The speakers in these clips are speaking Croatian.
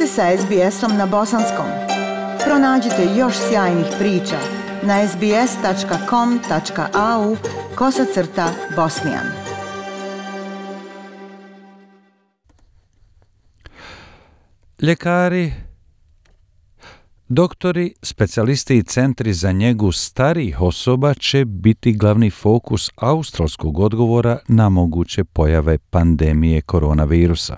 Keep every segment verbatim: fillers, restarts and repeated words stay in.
ste sa es be esom na bosanskom. Pronađite još sjajnih priča na es be es tačka com tačka a u kosacrta bosnijan. Ljekari, doktori, specijalisti i centri za njegu starijih osoba će biti glavni fokus australskog odgovora na moguće pojave pandemije koronavirusa.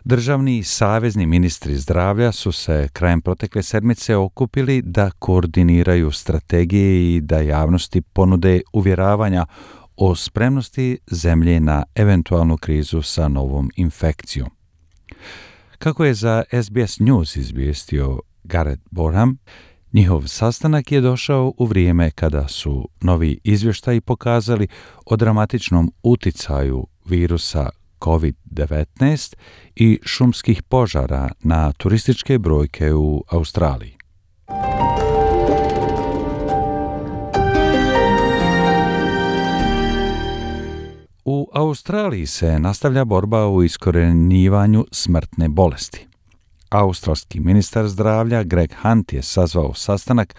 Državni i savezni ministri zdravlja su se krajem protekle sedmice okupili da koordiniraju strategije i da javnosti ponude uvjeravanja o spremnosti zemlje na eventualnu krizu sa novom infekcijom. Kako je za es be es News izvijestio Gareth Borham, njihov sastanak je došao u vrijeme kada su novi izvještaji pokazali o dramatičnom uticaju virusa kovid devetnaest i šumskih požara na turističke brojke u Australiji. U Australiji se nastavlja borba u iskorjenjivanju smrtne bolesti. Australski ministar zdravlja Greg Hunt je sazvao sastanak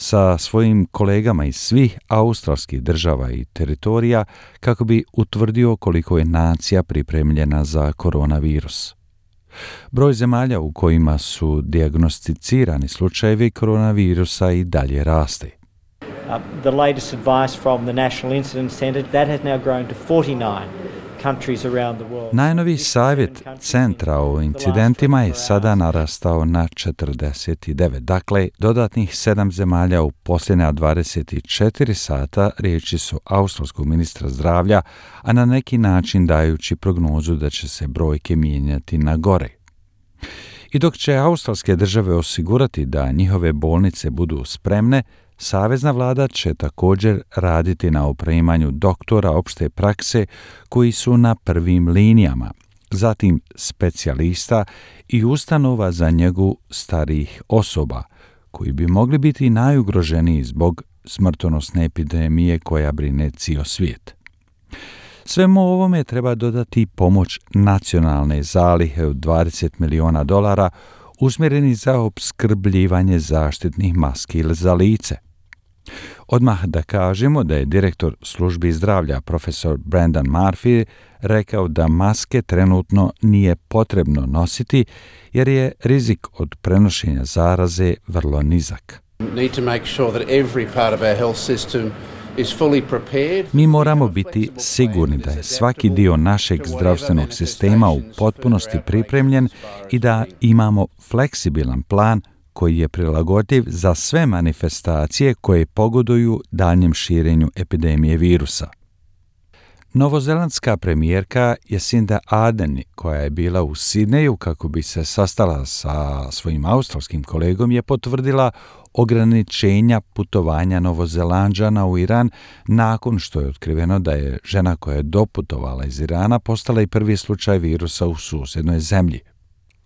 sa svojim kolegama iz svih australskih država i teritorija kako bi utvrdio koliko je nacija pripremljena za koronavirus. Broj zemalja u kojima su dijagnosticirani slučajevi koronavirusa i dalje raste. Uh, the latest advice from the National Incident Centre, that has now grown to forty-nine countries around the world. Najnoviji savjet centra o incidentima je sada narastao na četrdeset devet. Dakle, dodatnih sedam zemalja u posljednja dvadeset četiri sata, riječi su australskog ministra zdravlja, a na neki način dajući prognozu da će se brojke mijenjati na gore. I dok će australske države osigurati da njihove bolnice budu spremne, savezna vlada će također raditi na opremanju doktora opšte prakse koji su na prvim linijama, zatim specijalista i ustanova za njegu starijih osoba, koji bi mogli biti najugroženiji zbog smrtonosne epidemije koja brine cijel svijet. Svemu ovome treba dodati pomoć nacionalne zalihe od dvadeset milijuna dolara usmjereni za opskrbljivanje zaštitnih maski za lice. Odmah da kažemo da je direktor službi zdravlja profesor Brendan Murphy rekao da maske trenutno nije potrebno nositi jer je rizik od prenošenja zaraze vrlo nizak. Mi moramo biti sigurni da je svaki dio našeg zdravstvenog sistema u potpunosti pripremljen i da imamo fleksibilan plan koji je prilagodljiv za sve manifestacije koje pogoduju daljnjem širenju epidemije virusa. Novozelandska premijerka Jacinda Ardern, koja je bila u Sidneju kako bi se sastala sa svojim australskim kolegom, je potvrdila ograničenja putovanja Novozelanđana u Iran nakon što je otkriveno da je žena koja je doputovala iz Irana postala i prvi slučaj virusa u susjednoj zemlji.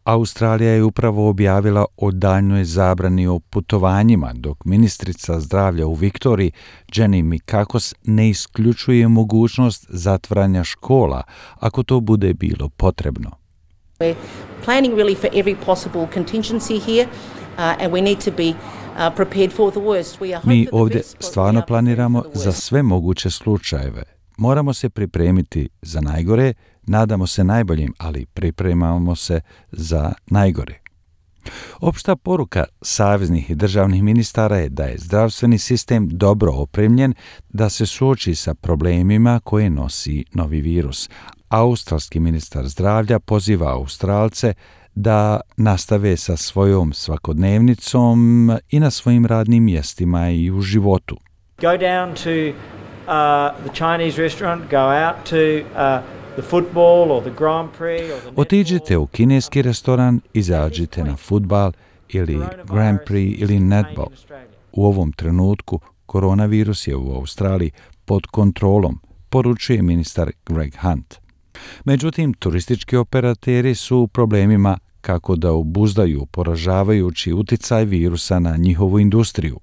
Australija je upravo objavila o daljnjoj zabrani o putovanjima, dok ministrica zdravlja u Viktoriji, Jenny Mikakos, ne isključuje mogućnost zatvaranja škola, ako to bude bilo potrebno. We're planning really for every possible contingency here, uh, and we need to be uh, prepared for the worst. We are Mi ovdje stvarno planiramo za sve moguće slučajeve. Moramo se pripremiti za najgore, nadamo se najboljim, ali pripremamo se za najgore. Opšta poruka saveznih i državnih ministara je da je zdravstveni sistem dobro opremljen da se suoči sa problemima koje nosi novi virus. Australski ministar zdravlja poziva Australce da nastave sa svojom svakodnevnicom i na svojim radnim mjestima i u životu. Go down to uh, the Chinese restaurant, go out to uh, the football or the Grand Prix or the Otiđite u kineski restoran, izađite na fudbal ili Grand Prix ili netball. U ovom trenutku koronavirus je u Australiji pod kontrolom, poručuje ministar Greg Hunt. Međutim, turistički operateri su u problemima kako da obuzdaju poražavajući uticaj virusa na njihovu industriju.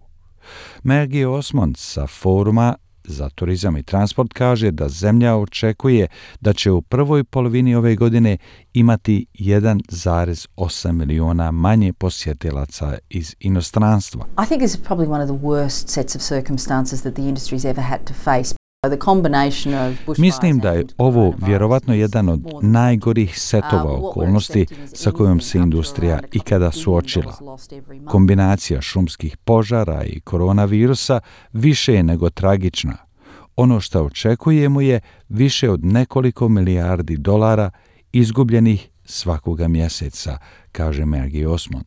Maggie Osmond sa foruma za turizam i transport kaže da zemlja očekuje da će u prvoj polovini ove godine imati jedan zarez osam miliona manje posjetilaca iz inostranstva. I think this is probably one of the worst sets of circumstances that the industry's ever had to face. Mislim da je ovo vjerovatno jedan od najgorih setova okolnosti sa kojom se industrija ikada suočila. Kombinacija šumskih požara i koronavirusa više je nego tragična. Ono što očekujemo je više od nekoliko milijardi dolara izgubljenih svakoga mjeseca, kaže Maggie Osmond.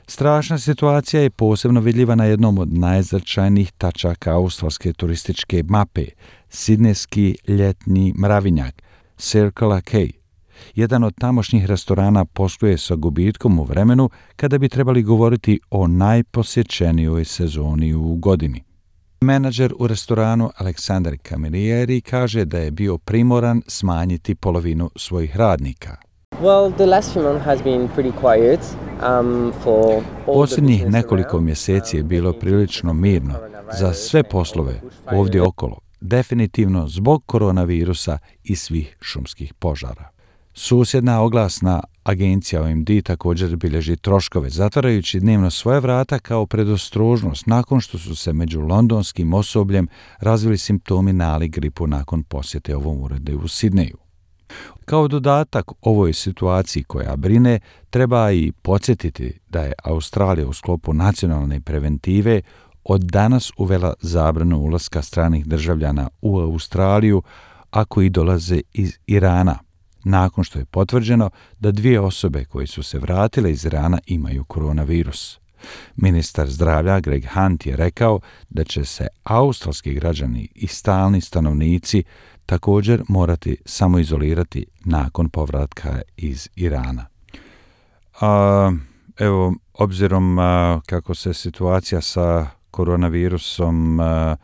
Strašna situacija je posebno vidljiva na jednom od najznačajnijih tačaka australske turističke mape, sidnejski ljetni mravinjak, Circular Quay. Jedan od tamošnjih restorana posluje sa gubitkom u vremenu kada bi trebali govoriti o najposjećenijoj sezoni u godini. Menadžer u restoranu Aleksandar Camilleri kaže da je bio primoran smanjiti polovinu svojih radnika. Well, the last few months has been pretty quiet. Um, for Posljednjih nekoliko mjeseci je bilo prilično mirno za sve poslove ovdje okolo, definitivno zbog koronavirusa i svih šumskih požara. Susjedna oglasna agencija O M D također bilježi troškove, zatvarajući dnevno svoje vrata kao predostrožnost nakon što su se među londonskim osobljem razvili simptomi nalik gripu nakon posjete ovom uredu u Sidneju. Kao dodatak ovoj situaciji koja brine, treba i podsjetiti da je Australija u sklopu nacionalne preventive od danas uvela zabranu ulaska stranih državljana u Australiju ako i dolaze iz Irana, nakon što je potvrđeno da dvije osobe koje su se vratile iz Irana imaju koronavirus. Ministar zdravlja Greg Hunt je rekao da će se australski građani i stalni stanovnici također morati samoizolirati nakon povratka iz Irana. A, evo, obzirom a, kako se situacija sa koronavirusom a,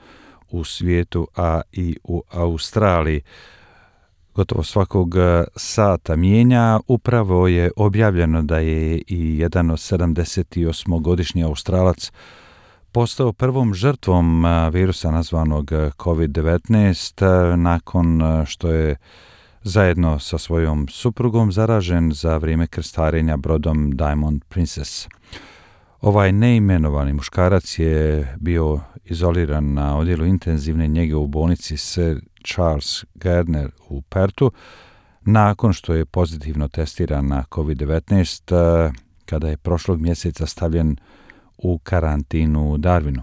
u svijetu, a i u Australiji gotovo svakog sata mijenja, upravo je objavljeno da je i jedan od sedamdesetosmogodišnji Australac postao prvom žrtvom virusa nazvanog kovid devetnaest nakon što je zajedno sa svojom suprugom zaražen za vrijeme krstarenja brodom Diamond Princess. Ovaj neimenovani muškarac je bio izoliran na odjelu intenzivne njege u bolnici Sir Charles Gardner u Perthu nakon što je pozitivno testiran na kovid devetnaest kada je prošlog mjeseca stavljen u karantinu u Darwinu.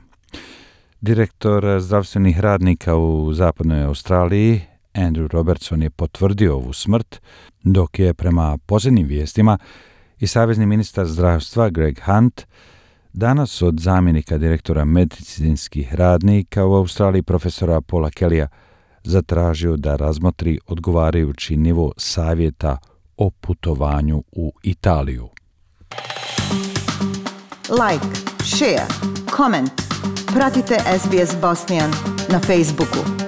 Direktor zdravstvenih radnika u zapadnoj Australiji, Andrew Robertson, je potvrdio ovu smrt, dok je prema posljednjim vijestima i savezni ministar zdravstva Greg Hunt danas od zamjenika direktora medicinskih radnika u Australiji profesora Paula Kellya zatražio da razmotri odgovarajući nivo savjeta o putovanju u Italiju. Like, share, comment. Pratite S B S Bosnian na Facebooku.